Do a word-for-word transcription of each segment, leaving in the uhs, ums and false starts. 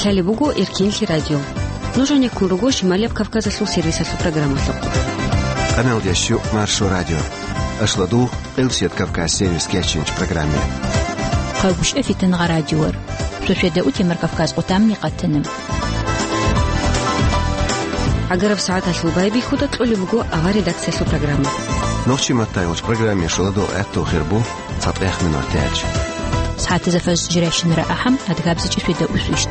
Лъалеб буго Эркенлъи радио. Нуж гьанеккун руго Шималияб Кавказалъул сервисалъул программалъухъ. Къаналдеш Маршо радио. Ашладу, Къилсият Кавказ сервис кечинч программе. Хъалгушев Фитангъа радиор. Шошеда утемар Кавказ къутамни къатана. Агараб сагӀаталъул байбихьуда кьолеб буго авар редакциялъул программа. Нохчи маттай уч программе шуладул гӀатту хирбу. ЦатӀех минутач. СагӀатазда фажр жирайщинара ахӀам, адгабзичӀи свида усвищт.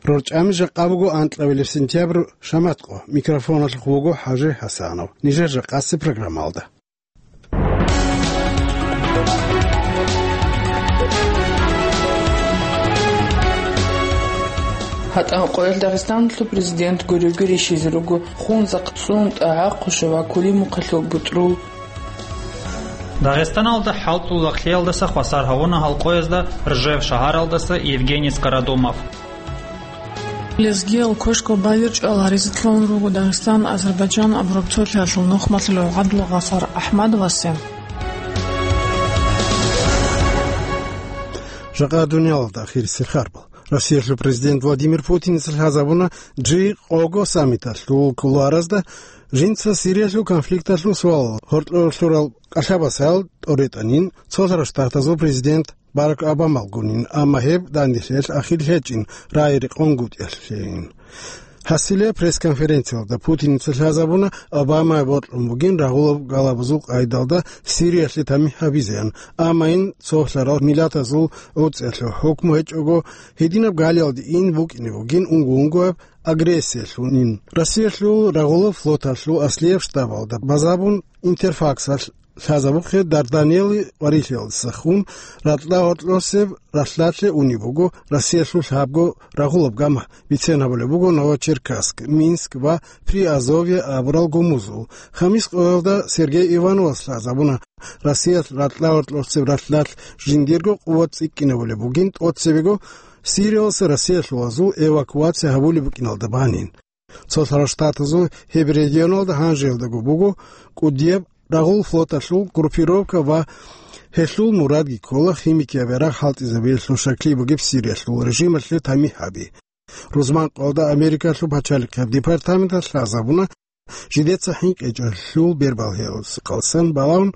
РорчӀами жакъа буго анкьабилеб сентябрь шаматкъо. Микрофоналъухъ вуго ХӀажи ХӀасанов. Нижер жакъасе программалда. ГьатӀан къоялъ Дагъистаналъул президент гуревги рищизе руго Хунзахъ, ЦӀун, ТӀагӀахъушев ва Кулимухъалъул бутӀрул. Дагъистаналда хӀалтӀул лагълъиялдаса хвасар гьавуна гьал къоязда Ржев шагьаралдаса Евгений Скородумов. Лезгиял квешго байбичӀчӀал гьаризе кьун руго Дагъистан-Азербайджан абураб цолъиялъул нухмалъулев ГӀабдул-Гъафар АхӀмадовасе. Жакъа дуниялалда ахирисел харбал. Россиялъул президент Владимир Путиница лъазабуна жи къого саммиталъул кулуаразда жинца Сириялъул конфликталъул суалал гьоркьор лъурал кӀалъабасал тӀоретӀанин Цолъарал Штатазул президент Барак Обамалгунин, амма гьеб данделъиялъ ахир гьечӀин, рагӀи рекъонгутӀиялъейин. Гьасиле пресс-конференциялда Путиница лъазабуна, Обамае бокьун бугин рагъулаб галабазул къайдалда Сириялъе тамихӀ гьабизеян, амма ин цолъарал миллатазул гӀуцӀиялъул хӀукму гьечӀого, гьединаб галиялде ин букӀине бугин унго-унгояб агрессиялъунин. Россиялъул рагъулаб флоталъул аслияб штабалда базабун Интерфаксалъ лъазабухъе Дарданелли варилъиялдаса хун ракьа гьоркьосеб ралъдалъе унеб буго Россиялъул лъабго рагъулаб гама, бицен гьабулеб буго Новочеркасск, Минск ва Приазовье абурал гумузул. Хамис къоялда Сергей Ивановас лъазабуна, Россиялъ ракьа гьоркьосеб ралъдалъ жиндирго къуват цӀикӀкӀинабулеб бугин, тӀоцебего Сириялъа Россиялъулазул эвакуация гьабулеб букӀиналда банин. Цолъарал Штатазул гьеб регионалда гьанжеялдаго буго кӀудияб рагъул флоталъул группировка ва гьелъул мурадги ккола химикияб ярагъ хӀалтӀизабиялъул щаклъи бугеб Сириялъул режималъе тамихӀ гьаби. Рузман къоялда Америкалъул пачалихъияб департаменталъ лъазабуна, жидеца хӀинкъичӀелъул бербалъиялдаса хъалсан балагьун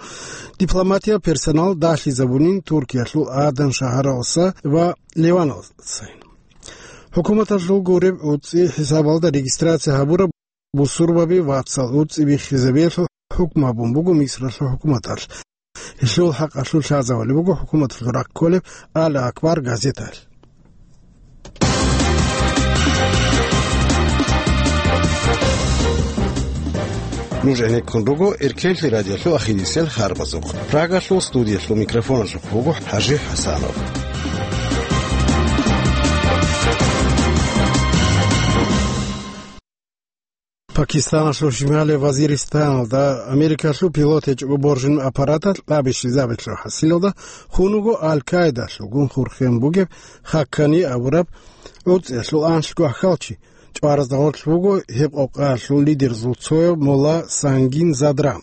дипломатияб персонал дагьлъизабунин Туркиялъул Адан шагьаралдаса ва Ливаналдасайин. ХӀукуматалъул гуреб гӀуцӀи хӀисабалда регистрация гьабураб бусурбаби вацал гӀуцӀи биххизабиялъул хӀукму гьабун буго Мисралъул хӀукуматалъ. Гьелъул хӀакъалъулъ лъазабулеб буго хӀукуматалъул рахъ кколеб Ал-Акбар газеталъ. Нуж гӀенеккун руго Эркенлъи радиолъул ахирисел харбазухъ. Прагалъул студиялъул микрофоналъухъ вуго ХӀажи ХӀасанов. Пакистаналъул шималияб Вазиристаналда Америкалъул пилот гьечӀого боржин аппараталъ кьаби щвезабиялъул хӀасилалда хун вуго Аль-Каидалъулгун хурхен бугеб Хаккани абураб гӀуцӀиялъул анлъго ахьалчи. ЧӀваразда гъорлъ вуго гьеб къокъаялъул лидерзул цояв Мола Сангин Задран.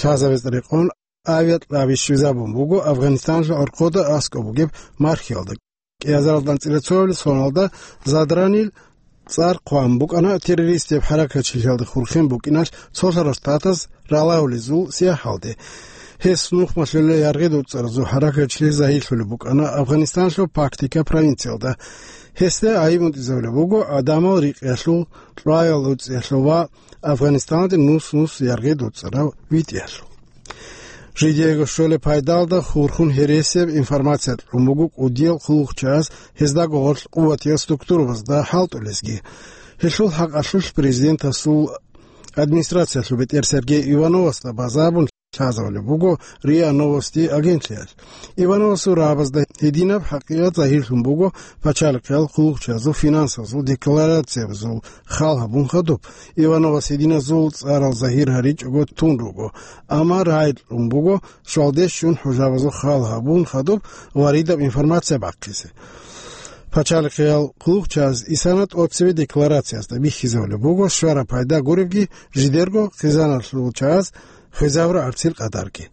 Лъазабизе рекъон авиакьаби щвезабун буго Афганистаналъул гӀорхъода аскӀоб бугеб мархиялда. КӀиазаралда анцӀила цоялъул соналда Задранил цӀар хъван букӀана террористияб хӀаракатчилъиялда хурхен букӀиналъ Цолъарал Штатаз ралагьулезул сияхӀалде. Гьес нухмалъулел яргъи-дуцӀаразул хӀаракатчилъи загьирлъулеб букӀана Афганистаналъул Пактика провинциялда. Гьесда гӀайиб унтӀизабулеб буго гӀадамал рикъиялъул, кьваял гӀуцӀиялъул ва Афганистаналде нус-нус яргъи-дуцӀарав витӀиялъул. Жидеего щолеб пайдалда хурхун гьересияб информация кьун буго кӀудиял хъулухъчагӀаз гьездаго гъорлъ къуватиял структурабазда хӀалтӀулезги. Гьелъул хӀакъалъулъ президентасул администрациялъул бетӀер Сергей Ивановасда базабун лъазабулеб буго РИА Новости агентлъиялъ. Ивановасул рагӀабазда гьединаб хӀакъикъат загьирлъун буго пачалихъиял хъулухъчагӀазул финансазул декларациябазул хал гьабун хадуб. Ивановас гьединазул цӀарал загьир гьаричӀого тун руго, амма рагӀи кьун буго щвалде щун хӀужабазул хал гьабун хадуб варидаб информация бахъизе. Пачалихъиял хъулухъчагӀаз исана тӀоцебе декларациязда бихьизабулеб буго щвараб пайда гуребги, жидерго хъизаналъул чагӀаз хвезабураб гӀарцил къадарги.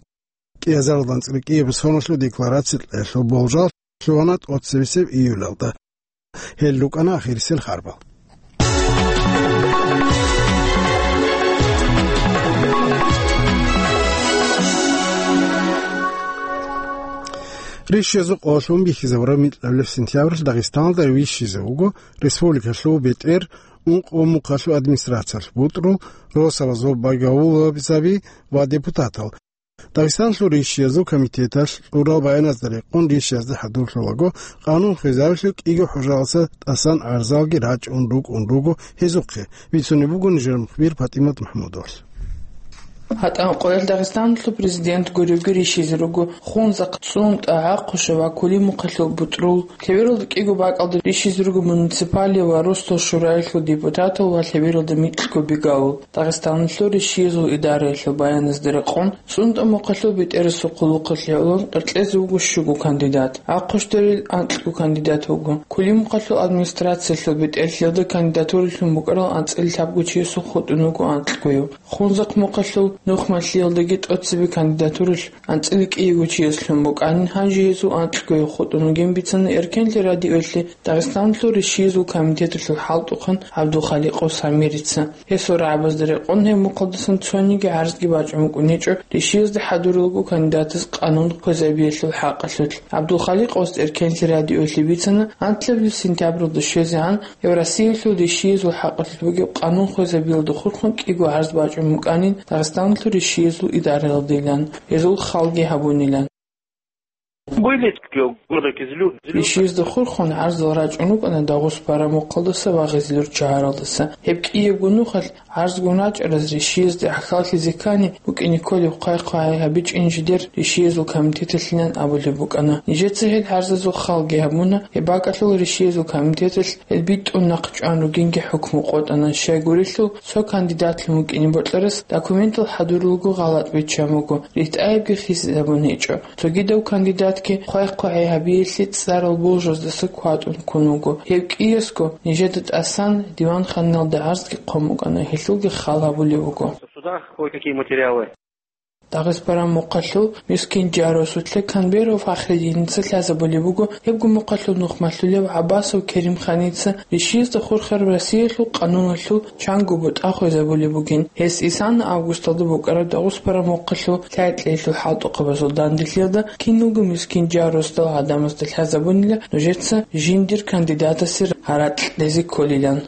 кӀиазаралда анцӀила кӀиабилеб соналъул декларация кьеялъул болжал лъугьана тӀоцебесеб июлалда. Гьел рукӀана ахирисел харбал. Ришшизул къоялъ бихьизабураб микьабилеб сентябралъ Дагъистаналда ришшизе вуго республикалъул бетӀер, ункъо мухъалъул администрациялъ бутӀрул, росабазул багьавулабаби ва депутатал. Дагъистаналъул ришшиязул комитеталъ кьурал баяназда рекъон ришшиязда хӀадурлъулаго, къанун хвезабиялъул кӀиго хӀужаялдаса тӀасан гӀарзалги рачӀун рукӀун руго гьезухъе, бицунеб буго нижер мухбир ПатӀимат МахӀмудовалъ. ГьатӀан къоялъ Дагъистаналъул президент гуребги ришшизе руго Хунзахъ, ЦӀунтӀа, ГӀахъуша ва Кулимухъалъул бутӀрул, лъебералда кӀиго бакӀалда ришшизе руго муниципалияб ва росдал шураялъул депутатал ва лъебералда микьго бигавул. Дагъистаналъул ришшиязул идараялъул баяназда рекъон, ЦӀунтӀа мухъалъул бетӀерасул хъулухъалъе гӀоло къеркьезе вуго щуго кандидат. ГӀахъушдарил анкьго кандидат вуго. Кулимухъалъул администрациялъул бетӀерлъиялда кандидатуралъун букӀарал анцӀила лъабго чиясул хутӀун вуго анкьгояв. Хунзахъ мухъалъул Нухмалъиялдаги тӀоцебе кандидатуралъ анцӀила кӀиего чияс лъун букӀанин, гьанже гьезул анкьгояв хутӀун вугин бицана Эркенлъи радиоялъе Дагъистаналъул ришшиязул комитеталъул хӀалтӀухъан ГӀабдулхаликъов Самирица. Гьесул рагӀабазда рекъон гьеб мухъалдасан цониги гӀарзги бачӀун букӀунечӀо, ришшиязда хӀадуралго кандидатас къанун хвезабиялъул хӀакъалъулъ. ГӀабдулхаликъовас Эркенлъи радиоялъе бицана, анлъабилеб сентябралда щвезегӀан Евросиялъул ришшиязул хӀакъалъулъ бугеб къанун хвезабиялда хурхун кӀиго гӀарз бачӀун букӀанин Дагъистаналъул ришшиязул идараялдайилан, гьезул халги гьабунилан. Были города Кизилюрт. Ришшиязда хурхун гӀарзал рачӀун рукӀана Дагъустан мухъалдаса ва Гъизлюрт шагьаралдаса. Гьеб кӀиябго нухалъ гӀарзгун рачӀараз ришшиязда гӀахьаллъизе ккани, букӀине кколеб хъвай-хъвагӀай гьабичӀин жидер ришшиязул комитеталъилан абулеб букӀана. Нижеца гьел гӀарзазул халги гьабуна, гьеб бакӀалъул ришшиязул комитеталъ гьел битӀун нахъ чӀван ругинги хӀукму къотӀана, щайгурелъул цо кандидат лъун вукӀине бокьарас документал хӀадуралго гъалатӀ биччан буго, ритӀаябги хисизабун гьечӀо. Цогидав кандидатги хъвай-хъвагӀай гьабиялъе цӀарал болжаздаса кватӀун ккун вуго. Гьеб кӀиясго нижеда тӀасан диванханалда гӀарзги хъван букӀана, гьелъулги хал гьабулеб буго. В судах кое-какие материалы. Дагъиспаран мухъалъул мискин Жаросулъе Камберов Фахридиница лъазабулеб буго, гьебго мухъалъул нухмалъулев ГӀаббасов Керимханица ришшиязда хурхараб Россиялъул къануналъул чанго бутӀа хвезабулеб бугин. Гьес исана августалда букӀараб Дагъиспаран мухъалъул лъай-кьеялъул хӀалтӀухъабазул данделъиялда киналго мискин Жаросдал гӀадамазда лъазабунила нужеца жиндир кандидатасе гьаракь кьезе кколилан.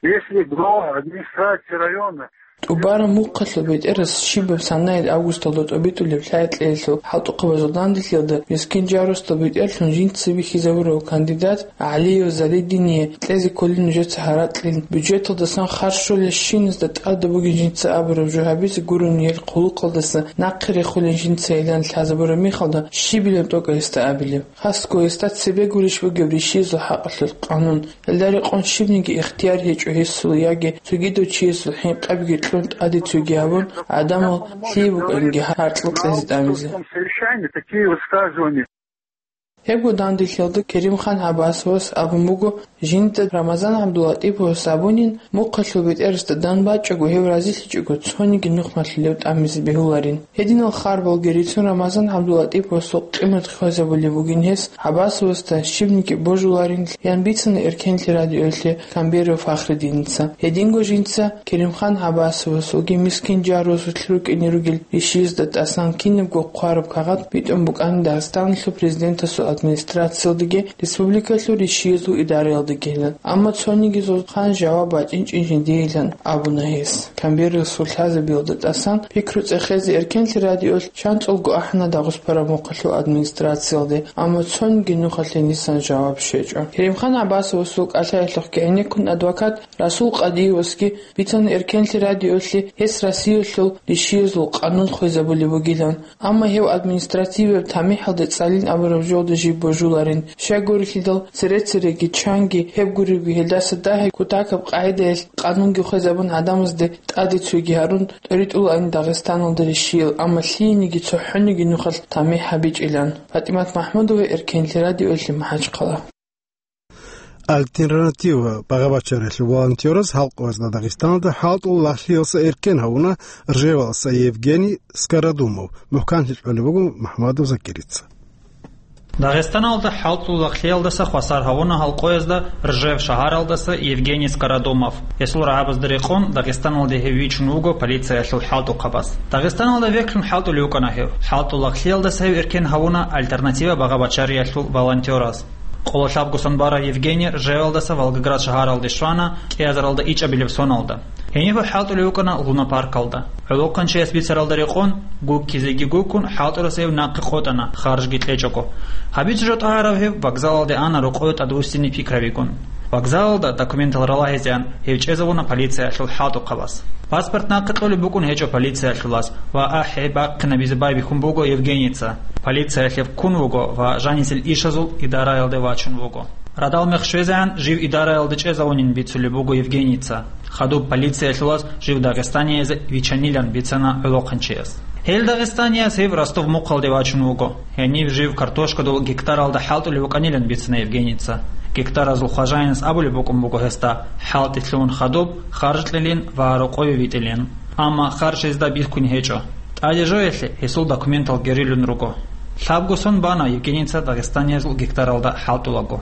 Если глава администрации района ТӀубараб мухъалъул бетӀерас щибаб санаялъ августалда тӀобитӀулеб лъай-кьеялъул хӀалтӀухъабазул данделъиялда мискин Жаросдал бетӀерлъун жинца бихьизабурав кандидат ГӀалиев Залидине кьезе кколин нужеца гьаракьил, бюджеталдасан харж щолебщиназда тӀадаб бугин жинца абураб жо гьабизе гурони гьел хъулухъалдаса нахъе рехулин жинцайилан лъазабураб мехалда щибилан тӀокӀаб гьесда абилеб. Хасго гьесда цебе гурищ бугеб ришшизул хӀакъалъулъ къанун. Гьелда рекъон щибниги ихтияр гьечӀо гьесул яги цогидав чиясул хӀинкъабги кьун тӀаде цоги гьабун, гӀадамал лъие букӀанги гьаркьал кьезе тӀамизе. Совещания, такие высказывания. Гьебго данделъиялда Керимхан ГӀаббасовас абун буго, жинда Рамазан ГӀабдулатӀиповас абунин, мухъалъул бетӀерасда дандбачӀого, гьев разилъичӀого, цониги нухмалъулев тӀамизе бегьуларин. Гьединал харбалги рицун Рамазан ГӀабдулатӀиповасул къимат хвезабулеб бугин гьес, ГӀаббасовасда щибниги божуларин, ян бицана Эркенлъи радиоялъе Камберов Фахридиница. Гьединго жинца Керимхан ГӀаббасовасулги мискин Жаросулъ рукӀине ругел ришшизда тӀасан кинабго хъвараб кагъат битӀун букӀана Дагъистаналъул президентасул администрациялдаги республикалъул ришшиязул идараялдагилан. Амма цониги зулхъан жаваб бачӀинчӀин жиндиилан абуна гьес. Камберасул лъазабиялда тӀасан пикру цӀехезе Эркенлъи радиоялъ чанцӀулго ахӀана Дагъустан мухъалъул администрациялде, амма цониги нухалъе гьенисан жаваб щвечӀо. Керимхан ГӀаббасовасул кӀалъаялъухъги гӀенеккун адвокат Расул Къадиевасги бицана Эркенлъи радиоялъе гьес Россиялъул ришшиязул къанун хвезабулеб бугилан. Амма гьев административияб тамихӀалда цӀалин абураб жолда жиб божуларин. Щайгурелъидал, цере-цереги чанги гьеб гуребги гьелдаса дагьаб кутакаб къагӀидаялъ къанунги хвезабун гӀадамазде тӀаде цоги гьарун, тӀоритӀулаан Дагъистаналда ришшиял, амма лъиениги цохӀониги нухалъ тамихӀ гьабичӀилан. ПатӀимат МахӀмудова, Эркенлъи радиоялъе, МахӀачхъала. «Альтернатива» багъа-бачариялъул волонтераз хӀалкъоязда Дагъистаналда хӀалтӀул лагълъиялдаса эркен гьавуна Ржевалдаса Евгений Скородумов, мухӀканлъи кьолеб буго МухӀамадов Закирица. Дагъистаналда хӀалтӀул лагълъиялдаса хвасар гьавуна хӀалкъоязда Ржев шагьаралдаса Евгений Скородумов. Гьесул рагӀабазда рекъон Дагъистаналде гьев вичун вуго полициялъул хӀалтӀухъабаз. Дагъистаналда вехьлъун хӀалтӀулев вукӀана гьев. ХӀалтӀул лагълъиялдаса гьев эркен гьавуна «Альтернатива» багъа-бачариялъул волонтераз. Къоло лъабго сон барав Евгений Ржевалдаса Волгоград шагьаралде щвана кӀиазаралда ичӀабилеб соналда. Гьениб гьев хӀалтӀулев вукӀана лунопаркалда. ГӀолохъанчияс бицаралда рекъон, гуккизеги гуккун, хӀалтӀурас гьев нахъе къотӀана, харжги кьечӀого. Гьабизе жо тӀагӀарав гьев вокзалалде ана рокъове тӀадвуссине пикравигун. Вокзалалда документал ралагьизеян гьев чӀезавуна полициялъул хӀалтӀухъабаз. Паспорт нахъе кьолеб букӀун гьечӀо полициялъулаз ва ахӀи бахъинабизе байбихьун буго Евгенийца. Полициялъе ккун вуго ва жанисел ишазул идараялде вачун вуго. Радал мех щвезегӀан жив идараялде чӀезавунин бицулеб буго Евгенийца. Хадуб полициялъулаз жив дагъистаниязе вичанилан бицана гӀолохъанчияс. Гьел дагъистанияс гьев Ростов-Мухъалде вачун вуго. Гьенив жив картошкадул гектаралда хӀалтӀулев вукӀанилан бицана Евгенийца. Гектаразул хважаинас абулеб букӀун буго гьесда хӀалтӀи лъугьун хадуб, харж кьелин ва рокъове витӀилин. Амма харж гьезда бихьун гьечӀо. ТӀаде жоялъе гьесул документал герилун руго. Лъабго сон бана Евгенийца дагъистаниязул гектаралда хӀалтӀулаго.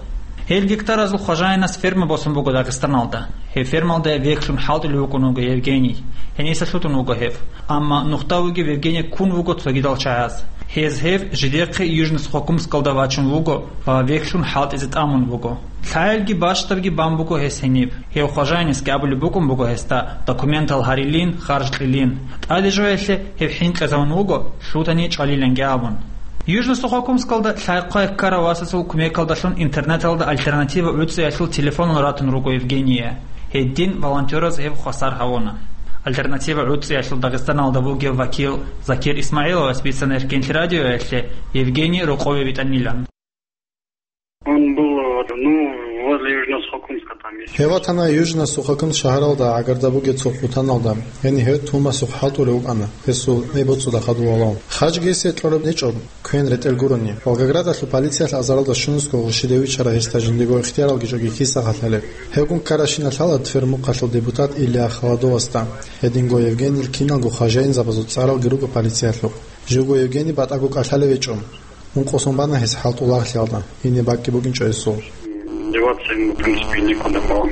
Гьел гектаразул хважаинас ферма босун буго Дагъистаналда. Гьеб фермалда вехьлъун хӀалтӀулев вукӀун вуго Евгений. Гьениса лъутун вуго гьев. Амма нухда вугев Евгений ккун вуго цогидал чагӀаз. Гьез гьев жидехъе Южно-Сухокумскалда вачун вуго ва вехьлъун хӀалтӀизе тӀамун буго. Лъаялги бащдабги бан буго гьес гьениб. Гьев хважаинасги абулеб букӀун буго гьесда документал гьарилин, харж кьилин. ТӀаде жоялъе гьев хӀинкъизавун вуго, лъутани чӀвалиланги абун. Южно-Сухокумскалда лъай-хъвай ккарав васасул кумекалдалъун интернеталда «Альтернатива» гӀуцӀиялъул телефонал ратун руго Евгения. Гьедин волонтераз гьев хвасар гьавуна. «Альтернатива» гӀуцӀиялъул Дагъистаналда вугев вакил Закир Исмагьиловас бицана Эркенлъи радиоялъе Евгений рокъове витӀанилан. Он был, ну, возле Южно-Сухокумска там есть. Гьев ватана Южно-Сухокумск шагьаралда гӀагарда бугеб цо хъутаналда, гьенив гьев тугьмасухъ хӀалтӀулев вукӀана, гьесул гӀеб-боцӀуда хадув валав. Хажги гьесие кьолеб гьечӀо, квен ретӀел гурони. Волгоградалъул полициялъ азаралда щунусго гъурщиде вичара гьесда жиндиего ихтияралги чӀоги киса халъалеб. Гьевгун ккаращина лъала Твермухъалъул депутат Илья Холодовасда. Гьединго Евгенийил киналго хважаинзабазул цӀаралги руго полициялъухъ. Живго Евгений батӀаго кӀалъалев гьечӀо. Ункъо сон бана гьес хӀалтӀул лагълъиялда, гьениб бакӀги букӀинчӀо гьесул. Деваться ему, в принципе, некуда было.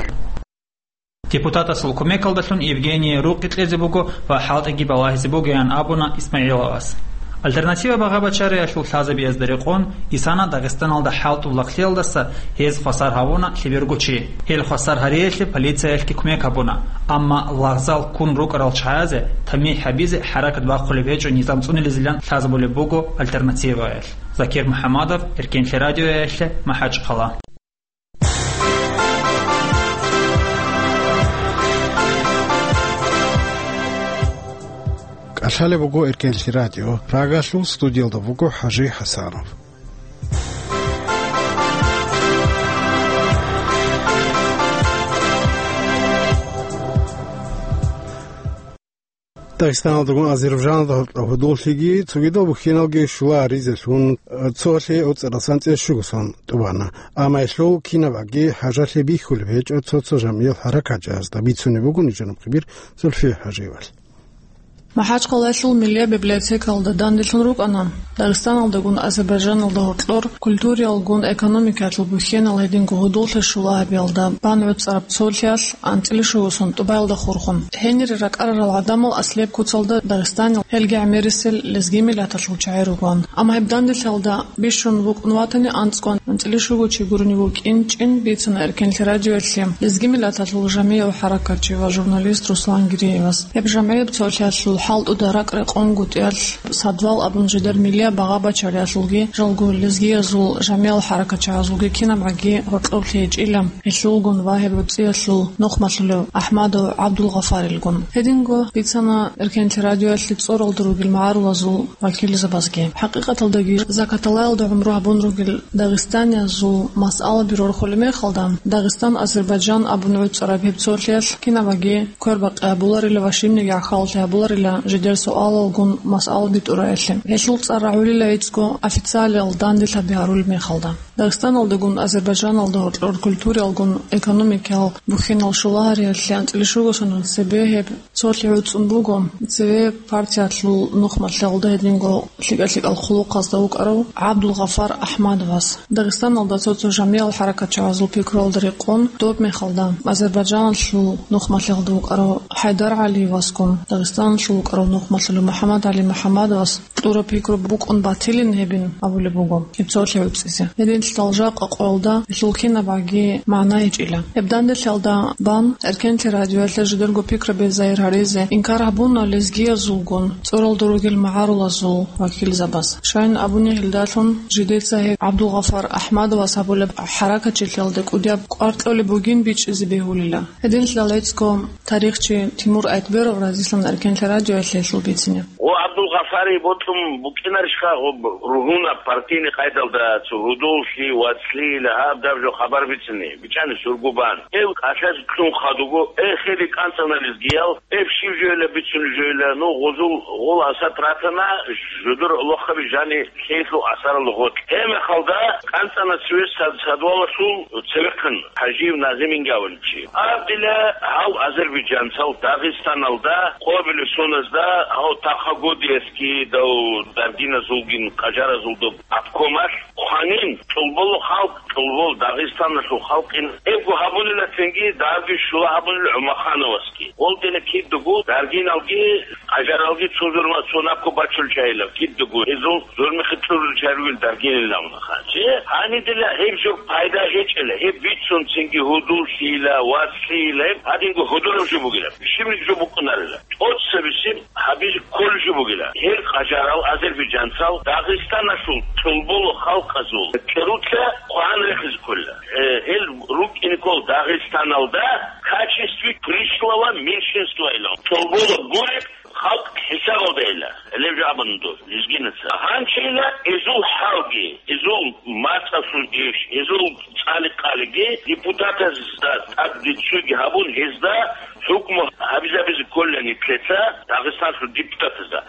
Депутатасул кумекалдалъун Евгений рукъи кьезе буго ва хӀалтӀиги балагьизе бугеян абуна Исмагьиловас. «Альтернатива» багъа-бачариялъул лъазабиязда рекъон, исана Дагъистаналда хӀалтӀул лагълъиялдаса гьез хвасар гьавуна лъеберго чи. Гьел хвасар гьариялъе полициялъги кумек гьабуна, амма лагъзал ккун рукӀарал чагӀазе тамихӀ гьабизе хӀаракат бахъулеб гьечӀо низам цӀунилизилан лъазабулеб буго «Альтернативаялъ». Закир МухӀамадов, Эркенлъи радиоялъе, МахӀачхъала. КӀалъалеб буго Эркенлъи радио. Прагалъул студиялда вуго ХӀажи ХӀасанов. Дагъистаналдагун Азербайджаналда гьоркьоб гьудуллъиги цогидал бухьиналги щула гьаризелъун, цолъи гӀуцӀарасан цӀе щугосан тӀубана. Амма гьелъул кинабаги хӀажалъи бихьулеб гьечӀо цо-цо жамгӀиял хӀаракатчагӀазда, бицунеб буго нижер нухъбир Зульфия ХӀажиевалъ. МахӀачхъалаялъул миллияб библиотекалда данделъун рукӀана Дагъистаналдагун Азербайджаналда гьоркьор культураялгун, экономикаялъул бухьенал гьединго гьудуллъи щула гьабиялда бан гӀуцӀараб цолъиялъ анцӀила щугосан тӀубаялда хурхун. Гьенире ракӀарарал гӀадамал аслияб куцалда Дагъистанил, гьелги гӀемерисел лезги миллаталъул чагӀи ругоан. Амма гьеб данделъиялда бищун вукӀун ватани анцӀго анцӀила щуго чи гурони вукӀинчӀин бицана Эркенлъи радиоялъе лезги миллаталъул жамгӀиял хӀаракатчи ва журналист Руслан Гиреевас. Гьеб жамгӀияб цолъиялъул хӀалтӀуда ракӀ-рекъон гутӀиялъ Садвал абун жидер миллияб багъа-бачариялъулги жалго лезгиязул жамгӀиял хӀаракатчагӀазулги кинабгӀаги гьоркьоблъи гьечӀила, гьелъулгун ва гьеб гӀуцӀиялъул нухмалъулев АхӀмадов ГӀабдулгъафарилгун. Гьединго бицана Эркенлъи радиоялъе цӀоралда ругел магӀарулазул вакилзабазги. ХӀакъикъаталдаги закаталаялда гӀумру гьабун ругел дагъистаниязул масъалаби рорхулеб мехалда, Дагъистан-Азербайджан абун гӀуцӀараб гьеб цолъиялъ кинабгӀаги квербакъи гьабуларила ва щибниги гӀахьаллъи гьабуларила жидер суалалгун масъала битӀураялъе. Гьелъул цӀар рагӀулила гӀицӀго официалиял данделъаби гьарулеб мехалда. Дагъистаналдагун Азербайджаналда гьоркьор культуралгун экономикал бухьинал щулагьариялъе анцӀила щуго сонун цебе гьеб цолъи гӀуцӀун буго. Цеве партиялъул нухмалъалда гьединго лъикӀа-лъикӀал хъулухъазда вукӀарав ГӀабдулгъафар Ахмадовас. Дагъистаналда цо-цо жамигӀал хӀаракатчагӀазул пикруялда рекъон, доб мехалда Азербайджаналъул нухмалъалда вукӀарав ХӀайдар ГӀалиевасгун, Дагъистаналъул вукӀарав нухмалъулев МухӀаммад ГӀали МухӀаммадовас кьураб пикру букӀун батилин гьебин абулеб буго гьеб цолъи гӀуцӀизе. Гьединлъидал жакъа къоялда гьелъул кинабгӀаги магӀна гьечӀила. Гьеб данделъалда бан, Эркенлъи радиоялъе жидерго пикраби загьир гьаризе инкар гьабуна лезгиязулгун цӀуралда ругел магӀарулазул вакилзабаз. Щайин абуни гьелдалъун жидеца гьеб ГӀабдулгъафар Ахмадовас гьабулеб хӀаракатчилъиялда кӀудияб кӀвар кьолеб бугин бичӀчӀизе бегьулила. Гьединлъидал гӀицӀго тарихчи Тимур Айтберов разилъана Эркенлъи радиоялъе гьелъул бицине. Гъо ГӀабдулгъафари бокьун букӀинарищха, гъо ругьунаб партийный къайдалда цо гьудуллъи, вацлъи, лагьаб-даб жо хабар бицине, бичӀчӀани сургу бан. Гьев кӀалъазе кьун хадуго, э, хири кӀанцӀана лезгиял, гьеб щиб жойила бицунеб жойила, ну, гъозул гъол асат ратана, жодор лохаби жани лъейлъул асаралда гъоркь. Гьеб мехалда кӀанцӀана цеве сад-, садвалалъул цевехъан ХӀажиев Назиминги абулев чи. Аб дила гьав азербайджанцал Дагъистаналда, къобиле соназда, гьав Тахагодиевский дав даргиназулгин къажаразулда обкомалъ хъванин, тӀолболо халкъ, тӀолбол Дагъистаналъул халкъин. Эбго гьабунила цинги, дагьабги щула гьабунила ГӀумахановасги. Гъолдина кидаго даргиналги, къажаралги цо зурма цо набго бачул чайилав кидаго, гьезул зурмихъе кьурул чарвил даргинилавнаха. Чи гьанидила гьеб жо пайда гьечӀела, гьеб бицун цинги гьудуллъийила, вацлъийила, гьеб гьадинго гьудураб жо бугила, бищунаб жо букӀунарила. ТӀоцебесеб гьабизе кколеб жо бугила. Гьел къажарал азербайджанцал Дагъистаналъул тӀолболо халкъазул кьеруца хъван рехизе кколила. Э, гьел рукӀине ккол Дагъистаналда в качестве пришлого меньшинства илан. ТӀолболо гуреб халкъ хӀисабалда ила, гьелеб жо абун дос, лезгинаца. Гьанчила изул хӀалги, изул мацӀалъул иш, изул цӀали-къалиги депутатазда тӀад риццуги гьабун, гьезда хӀукму гьабизабизе кколила нилъеца Дагъистаналъул депутатазда.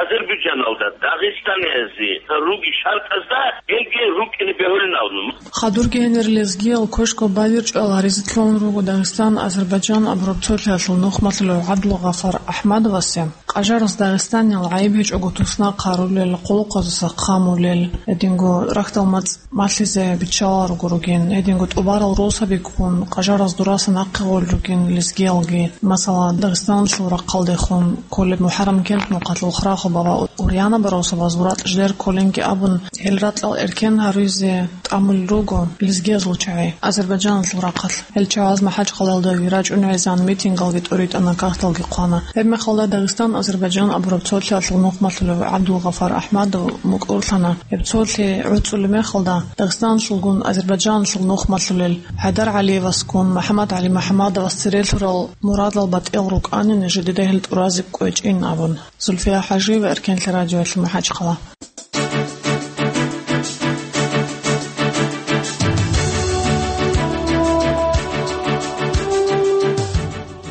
Азербайджаналда, Дагъистаназе руги шартӀазда гьелги рукӀине бегьулин абун. Хадурги гьенир лезгиял квешго бадирчӀвал гьаризе кьолин руго Дагъистан-Азербайджан абураб цолъиялъул нухмалъулев ГӀабдулгъафар Ахмадовасе. Къажараз Дагъистаниял гӀайиб гьечӀого туснахъ гьарулел, хъулухъазаса хъамулел, гьединго рахьдал мацӀ малъизе биччаларо ругин, гьединго тӀубарал росаби ккун, къажараз дураса нахъе гъолел ругин лезгиялги. Масала, Дагъистаналъул рахъалдехун кколеб МухӀаррам кент нухалъул Храхуб ва Урьянаб росабаз буратӀ жидер кколинги абун, гьел ракьал эркен гьаризе тӀамулел руго лезгиязул чагӀи Азербайджаналъул рахъалъ. Гьел чагӀаз МахӀачхъалаялда рачӀун гӀезегӀан митингалги тӀуритӀана, кагъталги хъвана. Гьеб мехалда Дагъистан-Азербайджан абураб цолъиялъул нухмалъулев ГӀабдулгъафар Ахмадов мукӀурлъана. Гьеб цолъи гӀуцӀулеб мехалда, Дагъистаналъулгун Азербайджаналъул нухмалъулел ХӀайдар ГӀалиевасгун МухӀаммад ГӀали МухӀаммадовас церелъурал мурадал батӀиял рукӀанин жидеда гьел тӀуразеб кӀвечӀин абун. Зульфия ХӀажиева, Эркенлъи радиоялъ, МахӀачхъала.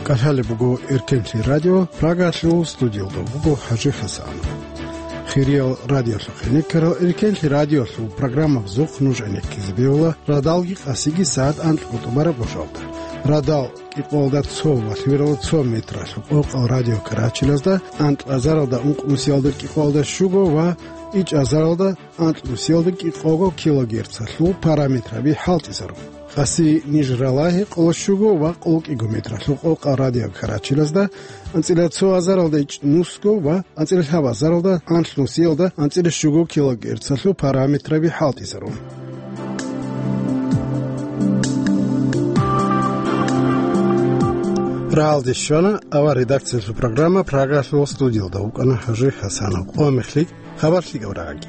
КӀалъалеб буго Эркенлъи радио, Прагалъул студиялда буго ХӀажи Хасанов. Хириял радиолъухъе рекерал, Эркенлъи радиолъул программабазухъ нуж гӀенеккизе бегьула радалги къасиги сагӀат анкьго тӀубараб гъожалда. Радал кӀикъоялда цо ва лъимералда цо метралъул къокъал радиокарачилазда, анкьазаралда ункънусиялда кӀикъоялда щуго ва ичӀазаралда анкьнусиялда кӀикъого килогерцалъул параметраби хӀалтӀизарун. Къаси ниж ралагьи къоло щуго ва къоло кӀиго метралъул къокъал радиокарачилазда, анцӀила цо азаралда ичӀнусго ва анцӀила лъабазаралда анлънусиялда анцӀила щуго килогерцалъул параметраби хӀалтӀизарун. Рагьалде щвана авар редакциялъул программа, Прагалъул студиялда вукӀана ХӀажи Хасанов. Къо мехлъи хабар лъикӀаб рагӀаги.